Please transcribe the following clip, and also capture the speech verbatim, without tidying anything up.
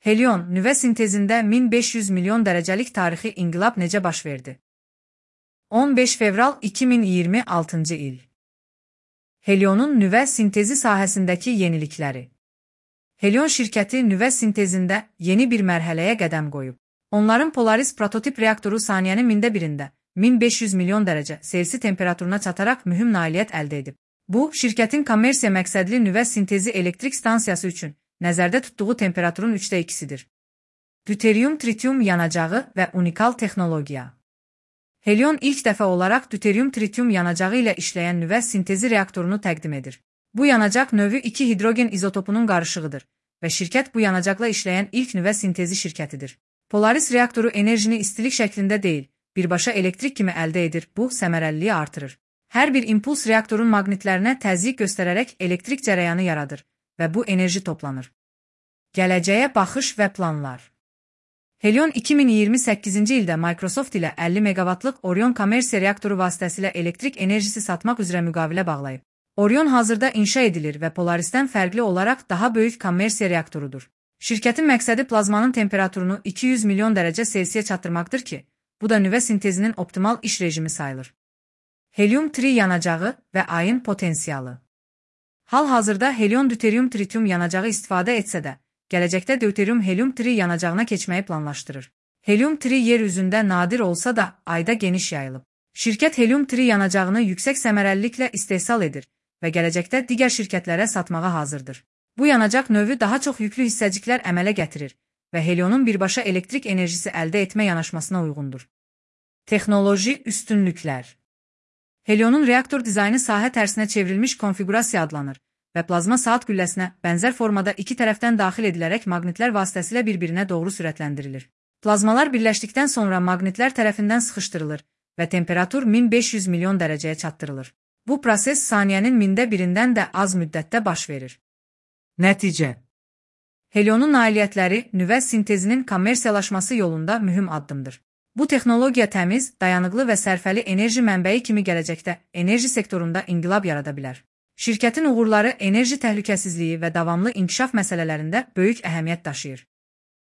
Helion, nüvə sintezində min beş yüz milyon dərəcəlik tarixi inqilab necə baş verdi? on beş fevral iki min iyirmi altıncı il. Helionun nüvə sintezi sahəsindəki yenilikləri. Helion şirkəti nüvə sintezində yeni bir mərhələyə qədəm qoyub. Onların Polaris prototip reaktoru saniyənin mində birində min beş yüz milyon dərəcə Selsi temperaturuna çataraq mühüm nailiyyət əldə edib. Bu, şirkətin kommersiya məqsədli nüvə sintezi elektrik stansiyası üçün nəzərdə tutduğu temperaturun üçdə ikisidir. Deuterium-tritium yanacağı və unikal texnologiya. Helion ilk dəfə olaraq deuterium-tritium yanacağı ilə işləyən nüvə sintezi reaktorunu təqdim edir. Bu yanacaq növü iki hidrogen izotopunun qarışığıdır və şirkət bu yanacaqla işləyən ilk nüvə sintezi şirkətidir. Polaris reaktoru enerjini istilik şəklində deyil, birbaşa elektrik kimi əldə edir, bu səmərəliliyi artırır. Hər bir impuls reaktorun maqnitlərinə təzyiq göstərərək elektrik cərəyanı yaradır və bu enerji toplanır. Gələcəyə baxış və planlar. Helion iki min iyirmi səkkizinci ildə Microsoft ilə əlli meqavatlıq Orion kommersiya reaktoru vasitəsilə elektrik enerjisi satmaq üzrə müqavilə bağlayıb. Orion hazırda inşa edilir və Polarisdən fərqli olaraq daha böyük kommersiya reaktorudur. Şirkətin məqsədi plazmanın temperaturunu iki yüz milyon dərəcə Selsiyə çatdırmaqdır ki, bu da nüvə sintezinin optimal iş rejimi sayılır. Helium-tri yanacağı və ayın potensialı. Hal-hazırda helion deuterium-tritium yanacağı istifadə etsə də, gələcəkdə deuterium helium-tri yanacağına keçməyi planlaşdırır. Helium-tri yer üzündə nadir olsa da, ayda geniş yayılıb. Şirkət helium-tri yanacağını yüksək səmərəliliklə istehsal edir və gələcəkdə digər şirkətlərə satmağa hazırdır. Bu yanacaq növü daha çox yüklü hissəciklər əmələ gətirir və helionun birbaşa elektrik enerjisi əldə etmə yanaşmasına uyğundur. Texnoloji üstünlüklər. Helionun reaktor dizaynı sahə tərsinə çevrilmiş konfigurasiya adlanır və plazma saat gülləsinə bənzər formada iki tərəfdən daxil edilərək maqnitlər vasitəsilə bir-birinə doğru sürətləndirilir. Plazmalar birləşdikdən sonra maqnitlər tərəfindən sıxışdırılır və temperatur min beş yüz milyon dərəcəyə çatdırılır. Bu proses saniyənin mində birindən də az müddətdə baş verir. Nəticə. Helionun nailiyyətləri nüvə sintezinin kommersiyalaşması yolunda mühüm addımdır. Bu texnologiya təmiz, dayanıqlı və sərfəli enerji mənbəyi kimi gələcəkdə enerji sektorunda inqilab yarada bilər. Şirkətin uğurları enerji təhlükəsizliyi və davamlı inkişaf məsələlərində böyük əhəmiyyət daşıyır.